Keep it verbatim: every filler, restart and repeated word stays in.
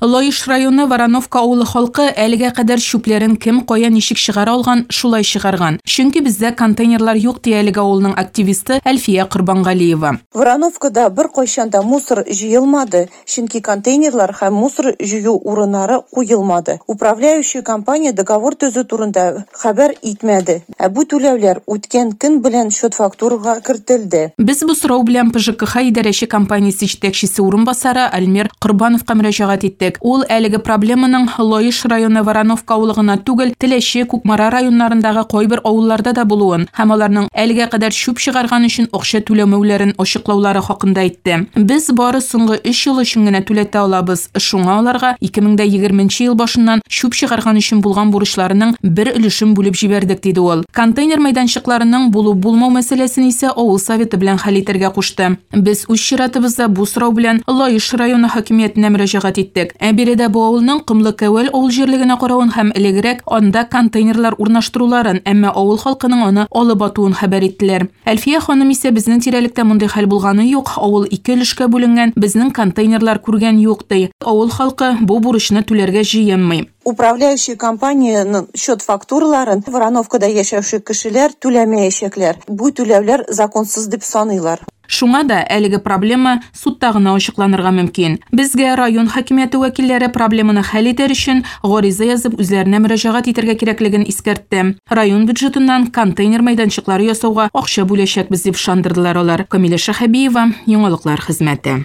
Лаеш районы Вороновка авылы халкы әлегә кадәр чүпләрен кем кая ничек чыгара алган, шулай чыгарган. Чөнки бездә контейнерлар юк, ди әлеге авылның активисты Әлфия Корбангалиева. Вороновкада бер кайчан да мусор җыелмады, чөнки контейнерлар һәм мусор җыю урыннары куелмады. Управляющая компания договор төзү турында хәбәр итмәде. Ә бу түләүләр үткән көн белән счет-фактурага кертелде. Без бу сорау белән П Ж К Х идарәче компаниясе җитәкчесе урынбасары Альмир Корбановка мөрәҗәгать иттек. Ул әлеге проблеманың Лаеш районы Вороновка авылы гына түгел, Теләче, Кукмара районнарындагы кайбер авылларда да булуын һәм аларның әлегә кадәр чүп чыгарган өчен акча түләмәүләрен ачыклаулары хакында әйтте. Без бары соңгы өч ел өчен генә түләтә алабыз. Шуңа аларга ике мең дә егерменче ел башыннан чүп чыгарган өчен булган бурычларының бер өлешен бүлеп җибәрдек, диде ул. Контейнер мәйданчыкларының булу-булмау мәсьәләсен исә авыл советы белән хәл итәргә кушты. Без үз чиратыбызда бу сорау белән Лаеш районы хакимиятенә мөрәҗәгать иттек. Ә биредә бу авылның Комлы Кәвәл авыл җирлегенә каравын һәм элегрәк анда контейнерлар урнаштыруларын, әмма авыл халкының аны алып атуын хәбәр иттеләр. Әлфия ханым исә безнең тирәлектә мондый хәл булганы юк, авыл ике өлешкә бүленгән, безнең контейнерлар күргән юк, ди. Авыл халкы бу бурычны түләргә җыенмый. Управляющая компанияның счет-фактураларын Вороновкада яшәүче кешеләр түләмәячәкләр. Бу түләүләр законсыз дип саныйлар. Шуңа да әлеге проблема судта гына ачыкланырга мөмкин. Безгә район хакимияте вәкилләре проблеманы хәл итәр өчен гариза язып үзләренә мөрәҗәгать итәргә кирәклеген искәртте. Район бюджетыннан контейнер мәйданчыклары ясауга акча бүләчәкбез дип ышандырдылар алар. Камилә Шәһәбиева, Яңалыклар хезмәте.